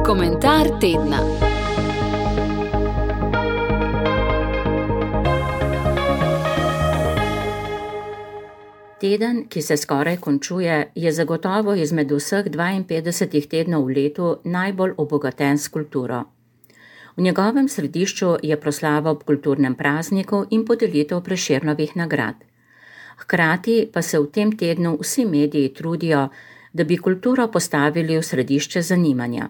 Komentar tedna. Teden, ki se skoraj končuje, je zagotovo izmed vseh 52 tednov v letu najbolj obogaten s kulturo. V njegovem središču je proslava ob kulturnem prazniku in podelitev Prešernovih nagrad. Hkrati pa se v tem tednu vsi mediji trudijo, da bi kulturo postavili v središče zanimanja.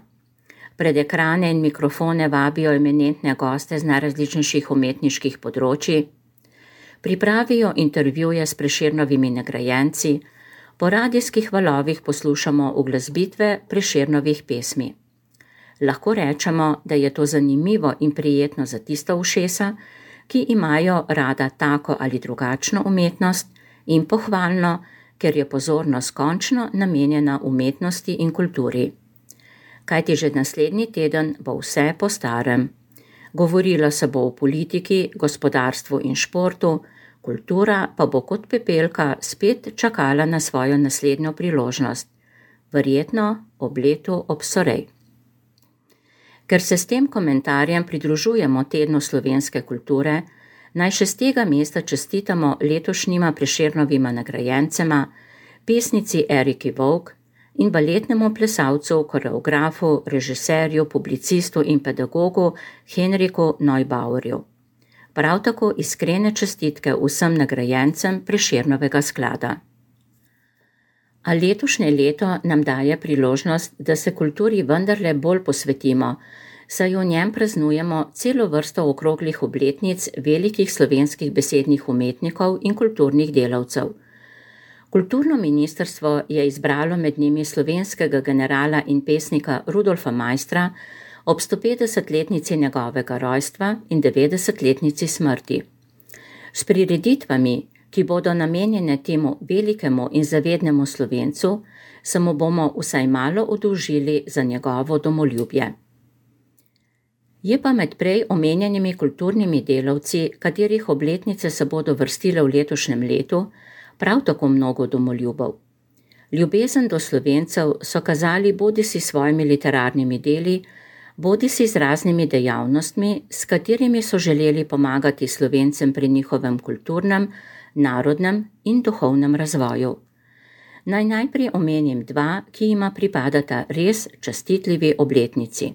Pred ekrane in mikrofone vabijo eminentne goste z najrazličnejših umetniških področij, pripravijo intervjuje s Prešernovimi nagrajenci, po radijskih valovih poslušamo uglasbitve Prešernovih pesmi. Lahko rečemo, da je to zanimivo in prijetno za tista ušesa, ki imajo rada tako ali drugačno umetnost, in pohvalno, ker je pozornost končno namenjena umetnosti in kulturi. Kajti že naslednji teden bo vse po starem. Govorilo se bo o politiki, gospodarstvu in športu, kultura pa bo kot pepelka spet čakala na svojo naslednjo priložnost, verjetno ob letu obsorej. Ker se s tem komentarjem pridružujemo tednu slovenske kulture, naj še z tega mesta čestitamo letošnjima Prešernovima nagrajencema, pesnici Eriki Vovk in baletnemu plesalcu, koreografu, režiserju, publicistu in pedagogu Henriku Neubauerju. Prav tako iskrene čestitke vsem nagrajencem Prešernovega sklada. A letošnje leto nam daje priložnost, da se kulturi vendarle bolj posvetimo, saj v njem praznujemo celo vrsto okroglih obletnic velikih slovenskih besednih umetnikov in kulturnih delavcev. Kulturno ministrstvo je izbralo med njimi slovenskega generala in pesnika Rudolfa Maistra ob 150-letnici njegovega rojstva in 90-letnici smrti. S prireditvami, ki bodo namenjene temu velikemu in zavednemu Slovencu, se mu bomo vsaj malo oddolžili za njegovo domoljubje. Je pa med prej omenjenimi kulturnimi delavci, katerih obletnice se bodo vrstile v letošnjem letu, prav tako mnogo domoljubov. Ljubezen do Slovencev so kazali bodisi s svojimi literarnimi deli, bodisi z raznimi dejavnostmi, s katerimi so želeli pomagati Slovencem pri njihovem kulturnem, narodnem in duhovnem razvoju. Naj najprej omenim dva, ki jima pripadata res častitljivi obletnici.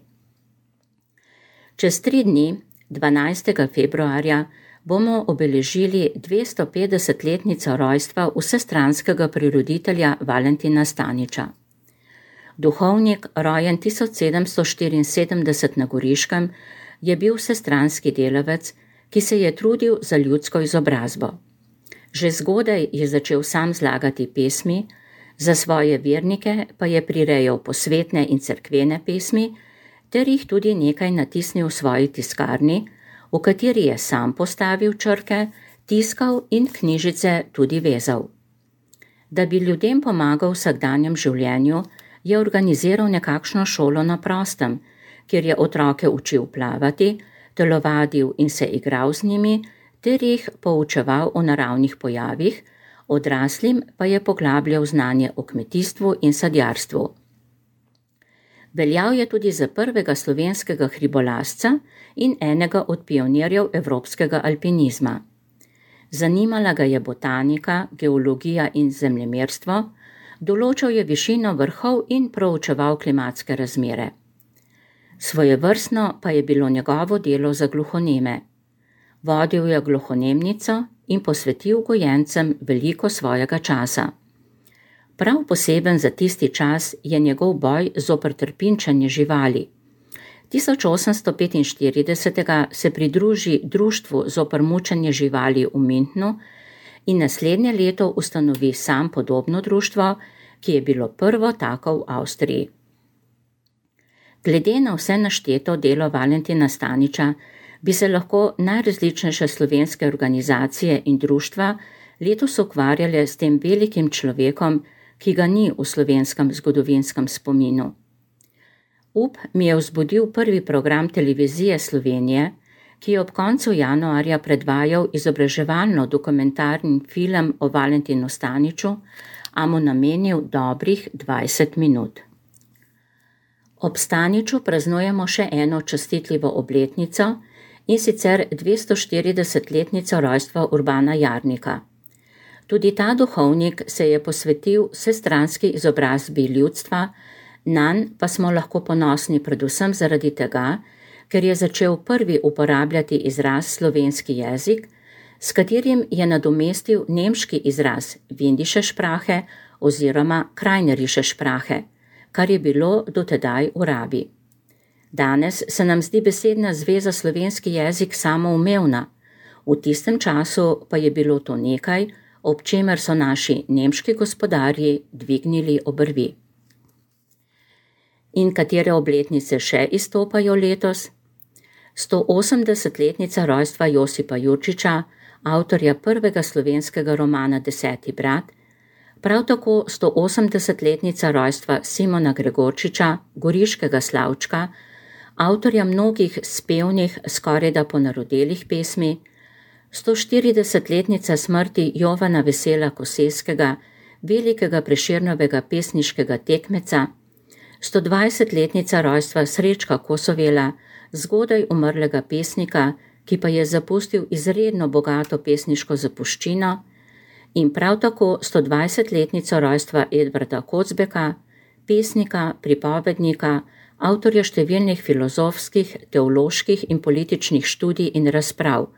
Čez 3 dni, 12. februarja, bomo obeležili 250-letnico rojstva vsestranskega prireditelja Valentina Staniča. Duhovnik, rojen 1774 na Goriškem, je bil vsestranski delavec, ki se je trudil za ljudsko izobrazbo. Že zgodaj je začel sam zlagati pesmi, za svoje vernike pa je prirejal posvetne in cerkvene pesmi, ter jih tudi nekaj natisnil v svoji tiskarni, v kateri je sam postavil črke, tiskal in knjižice tudi vezal. Da bi ljudem pomagal v vsakdanjem življenju, je organiziral nekakšno šolo na prostem, kjer je otroke učil plavati, telovadil in se igral z njimi, ter jih poučeval o naravnih pojavih, odraslim pa je poglabljal znanje o kmetijstvu in sadjarstvu. Veljal je tudi za prvega slovenskega hribolazca in enega od pionirjev evropskega alpinizma. Zanimala ga je botanika, geologija in zemljemerstvo, določal je višino vrhov in proučeval klimatske razmere. Svojevrstno pa je bilo njegovo delo za gluhoneme. Vodil je gluhonemnico in posvetil gojencem veliko svojega časa. Prav poseben za tisti čas je njegov boj zoper trpinčenje živali. 1845 se pridruži društvu zoper mučenje živali v Münchnu in naslednje leto ustanovi sam podobno društvo, ki je bilo prvo tako v Avstriji. Glede na vse našteto delo Valentina Staniča bi se lahko najrazličnejše slovenske organizacije in društva letos ukvarjale s tem velikim človekom, ki ga ni v slovenskem zgodovinskem spominu. Mi je vzbudil prvi program televizije Slovenije, ki je ob koncu januarja predvajal izobraževalno dokumentarni film o Valentinu Staniču, a mu namenil dobrih 20 minut. Ob Staniču praznujemo še eno častitljivo obletnico, in sicer 240-letnico rojstva Urbana Jarnika. Tudi ta duhovnik se je posvetil vsestranski izobrazbi ljudstva, nanj pa smo lahko ponosni predvsem zaradi tega, ker je začel prvi uporabljati izraz slovenski jezik, s katerim je nadomestil nemški izraz Windische Sprache oziroma Krajnerische Sprache, kar je bilo dotedaj v rabi. Danes se nam zdi besedna zveza slovenski jezik samoumevna, v tistem času pa je bilo to nekaj, ob čemer so naši nemški gospodarji dvignili obrvi. In katere obletnice še izstopajo letos? 180-letnica rojstva Josipa Jurčiča, avtorja prvega slovenskega romana Deseti brat, prav tako 180-letnica rojstva Simona Gregorčiča, goriškega slavčka, avtorja mnogih spevnih, skorajda ponarodelih pesmi, 140-letnica smrti Jovana Vesela Koseskega, velikega Prešernovega pesniškega tekmeca, 120-letnica rojstva Srečka Kosovela, zgodaj umrlega pesnika, ki pa je zapustil izredno bogato pesniško zapuščino, in prav tako 120-letnico rojstva Edvarda Kocbeka, pesnika, pripovednika, avtorja številnih filozofskih, teoloških in političnih študij in razprav,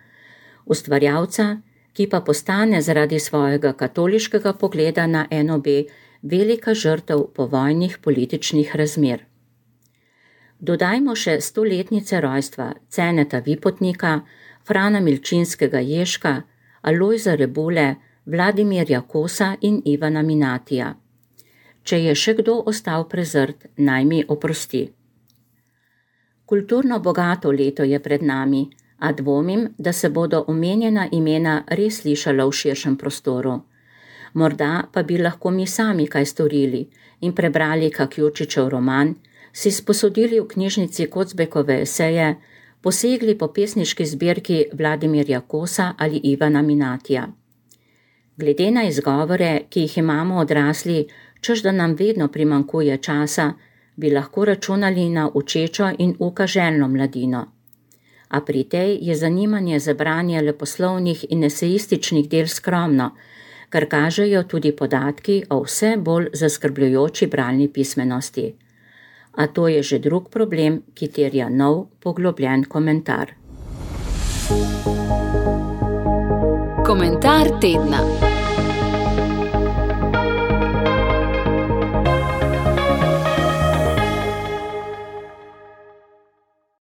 ustvarjalca, ki pa postane zaradi svojega katoliškega pogleda na NOB velika žrtev povojnih političnih razmer. Dodajmo še 100-letnice rojstva Ceneta Vipotnika, Frana Milčinskega Ježka, Alojza Rebule, Vladimirja Kosa in Ivana Minatija. Če je še kdo ostal prezrt, naj mi oprosti. Kulturno bogato leto je pred nami, a dvomim, da se bodo omenjena imena res slišala v širšem prostoru. Morda pa bi lahko mi sami kaj storili in prebrali kak Jurčičev roman, si sposodili v knjižnici Kocbekove eseje, posegli po pesniški zbirki Vladimirja Kosa ali Ivana Minatija. Glede na izgovore, ki jih imamo odrasli, češ da nam vedno primanjkuje časa, bi lahko računali na učečo in ukaželjno mladino. A pri tej je zanimanje za branje leposlovnih in esejističnih del skromno, kar kažejo tudi podatki o vse bolj zaskrbljujoči bralni pismenosti. A to je že drug problem, ki terja nov, poglobljen komentar. Komentar tedna.